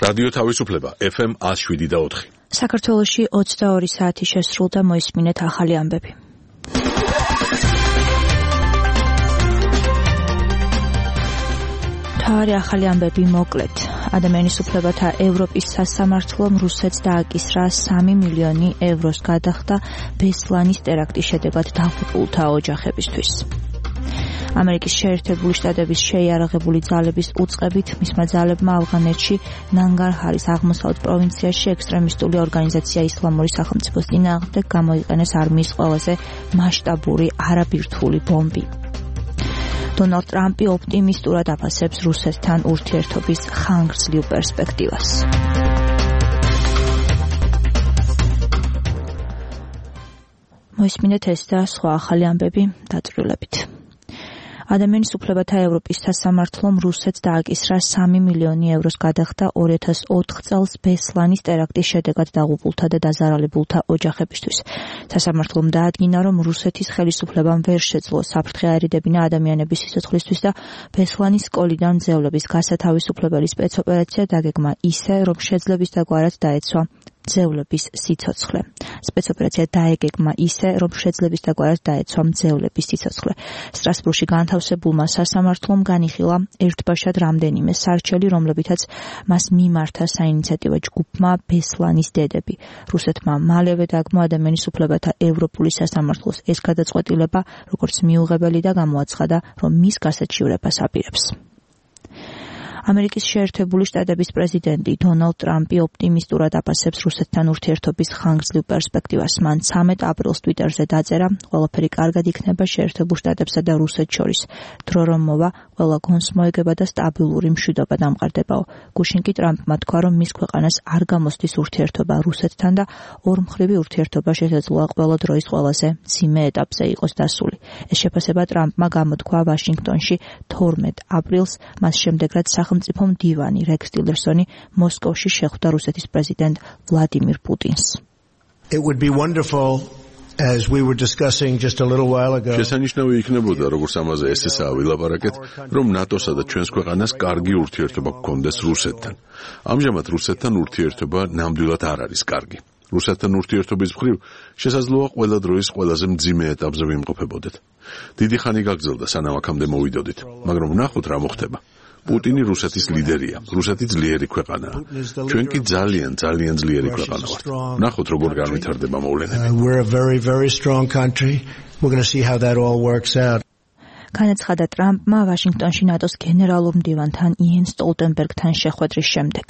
რადიო თავისუფლება FM 107.4. საქართველოში 22 საათი შესრულდა, მოისმინეთ ახალი ამბები. თავარი ახალი ამბები მოკლედ. ადამიანის უფლებათა ევროპის სასამართლომ რუსეთს დააკისრა 3 მილიონი ევროს გადახდა ბესლანის ტერაქტის შედეგად დაღუპულთა ოჯახებისთვის. ამერიკის შეერთებული შტატების შეიარაღებული ძალების უწყებით მისმა ძალებმა ავღანეთში ნანგარჰარის აღმოსავლეთ პროვინციაში ექსტრემისტული ორგანიზაცია ისლამური სახელმწიფოს წინააღმდეგ გამოიყენეს არმიის ყველაზე მასშტაბური არაბირთვული ბომბი. დონალდ ტრამპი ოპტიმისტურად აფასებს რუსეთთან ურთიერთობის ხანგრძლივ პერსპექტივას. მოისმინეთ ეს და სხვა ახალი ამბები დაწვრილებით. ადამიანის უფლებათა ევროპის სასამართლომ რუსეთს დააკისრა 3 მილიონი ევროს გადახდა 2004 წელს ბესლანის ტერაქტის შედეგად დაღუპულთა და დაზარალებულთა ოჯახებისთვის. სასამართლომ დაადგინა, რომ რუსეთის ხელისუფლებამ ვერ შეძლო საფრთხე აერიდებინა ადამიანების სიცოცხლისთვის და ბესლანის სკოლიდან მძევლების გასათავისუფლებელი სპეცოპერაცია დაგეგმა ისე, რომ შეძლების დაგვარად დაეცვა მძევლების სიცოცხლე. სპეცოპერაცია დაეგეგმა ისე, რომ შეძლების დაგვარად დაეცვა მძევლების სიცოცხლე. სტრასბურგში განთავსებულმა სასამართლომ განიხილა ერთბაშად რამდენიმე სარჩელი, რომლებითაც მას მიმართა საინიციატივო ჯგუფმა ბესლანის დედები. რუსეთმა მალევე დაგმო ადამიანის უფლებათა ევროპული სასამართლოს ეს გადაწყვეტილება, როგორც მიუღებელი და გამოაცხადა, რომ მის გასაჩივრებას აპირებს. ამერიკის შეერთებული შტატების პრეზიდენტი დონალდ ტრამპი ოპტიმისტურად აფასებს რუსეთთან ურთიერთობის ხანგრძლივ პერსპექტივას. მან 13 აპრილს ტვიტერზე დაწერა, ყველაფერი კარგად იქნება შეერთებულ შტატებსა და რუსეთს შორის. დრო რომ მოვა, ყველა გონს მოეგება და სტაბილური მშვიდობა დამყარდებაო. გუშინ კი ტრამპმა თქვა, რომ მის ქვეყანას არ გამოსდის ურთიერთობა რუსეთთან და ორმხრივი ურთიერთობა შესაძლოა ყველა დროის ყველაზე მძიმე ეტაპზე იყოს დასული. ეს შეფასება ტრამპმა გამოთქვა ვაშინგტონში 12 აპრილს, მას შემდეგ რაც სახელმწიფო მდივანი რექს ტილერსონი მოსკოვში შეხვდა რუსეთის პრეზიდენტ ვლადიმირ პუტინს. It would be wonderful, as we were discussing just a little while ago. შესანიშნავი იქნებოდა, როგორც ამაზე ესეა ვილაპარაკეთ, რომ ნატოსა და ჩვენს ქვეყანას კარგი ურთიერთობა გქონდეს რუსეთთან. ამჟამად რუსეთთან ურთიერთობა ნამდვილად არ არის კარგი. რუსეთთან ურთიერთობის მხრივ შესაძლოა ყველა დროის ყველაზე მძიმე ეტაპზე ვიმყოფებოდეთ. დიდი ხანი გაგრძელდა, სანამ აქამდე მოვიდოდით, მაგრამ ვნახოთ რა მოხდება. პუტინი რუსეთის ლიდერია, რუსეთი ძლიერი ქვეყანაა. ჩვენ კი ძალიან ძლიერი ქვეყანა ვართ. ვნახოთ როგორ განვითარდება მოვლენები. We're a very, very strong country. We're going to see how that all works out. განაცხადა ტრამპმა ვაშინგტონში ნატოს გენერალურ მდივანთან იენ სტოლტენბერგთან შეხვედრის შემდეგ.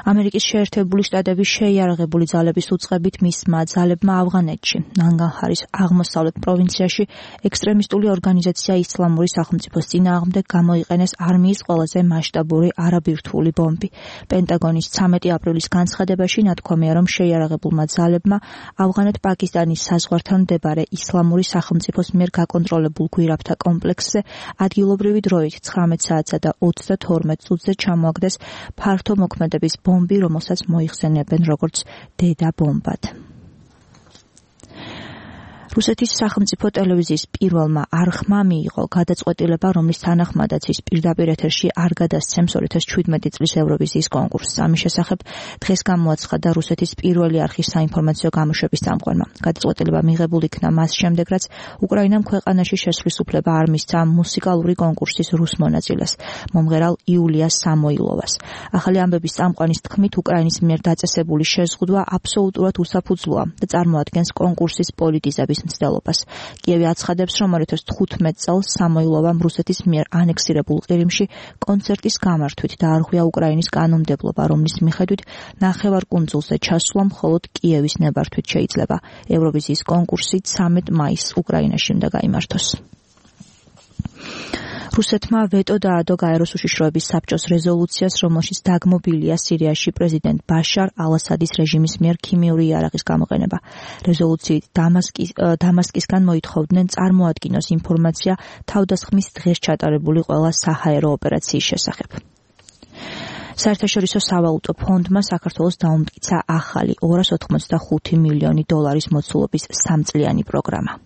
ამერიკის შეერთებული შტატების შეიარაღებული ძალების უწყებით მისმა ძალებმა ავღანეთში ნანგარჰარის აღმოსავლეთ პროვინციაში ექსტრემისტული ორგანიზაცია ისლამური სახელმწიფოს წინააღმდეგ გამოიყენეს არმიის ყველაზე მასშტაბური არაბირთვული ბომბი. პენტაგონის 13 აპრილის განცხადებაში ნათქვამია, რომ შეიარაღებულმა ძალებმა ავღანეთ-პაკისტანის საზღვართან მდებარე ისლამური სახელმწიფოს მიერ გაკონტროლებულ გვირაბთა კომპლექსზე ადგილობრივი დროით 19 საათსა და 32 წუთზე ჩამოაგდეს ფართო მოქმედების ბომბი, რომელსაც მოიხსენებენ როგორც დედა ბომბად. რუსეთის სახელმწიფო ტელევიზიის პირველმა არხმა მიიღო გადაწყვეტილება, რომლის თანახმადაც ის პირდაპირ ეთერში არ გადასცემს 2017 წლის ევროვიზიის კონკურსს. ამის შესახებ დღეს გამოაცხადა რუსეთის პირველი არხის საინფორმაციო გამოშვების წამყვანმა. გადაწყვეტილება მიღებულ იქნა მას შემდეგ, რაც უკრაინამ ქვეყანაში შესვლის უფლება არ მისცა მუსიკალური კონკურსის რუს მონაწილეს, მომღერალ იულია სამოილოვას. ახალი ამბების წამყვანის თქმით, უკრაინის მიერ დაწესებული შეზღუდვა აბსოლუტურად უსაფუძვლოა და წარმოადგენს კონკურსის პოლიტიზების მცდელობას. კიევი აცხადებს, რომ 2015 წელს სამოილოვამ რუსეთის მიერ ანექსირებულ ყირიმში კონცერტის გამართვით დაარღვია უკრაინის კანონმდებლობა, რომლის მიხედვით ნახევარკუნძულზე ჩასვლა მხოლოდ კიევის ნებართვით შეიძლება. ევროვიზიის კონკურსი 13 მაისს უკრაინაში უნდა გაიმართოს. რუსეთმა ვეტო დაადო გაეროს უშიშროების საბჭოს რეზოლუციას, რომელშიც დაგმობილია სირიაში პრეზიდენტ ბაშარ ალ-ასადის რეჟიმის მიერ ქიმიური იარაღის გამოყენება. რეზოლუციით დამასკისგან მოითხოვდნენ წარმოადგინოს ინფორმაცია თავდასხმის დღეს ჩატარებული ყველა საჰაერო ოპერაციის შესახებ. საერთაშორისო სავალუტო ფონდმა საქართველოს დაუმტკიცა ახალი $285 მილიონი მოცულობის 3 წლიანი პროგრამა.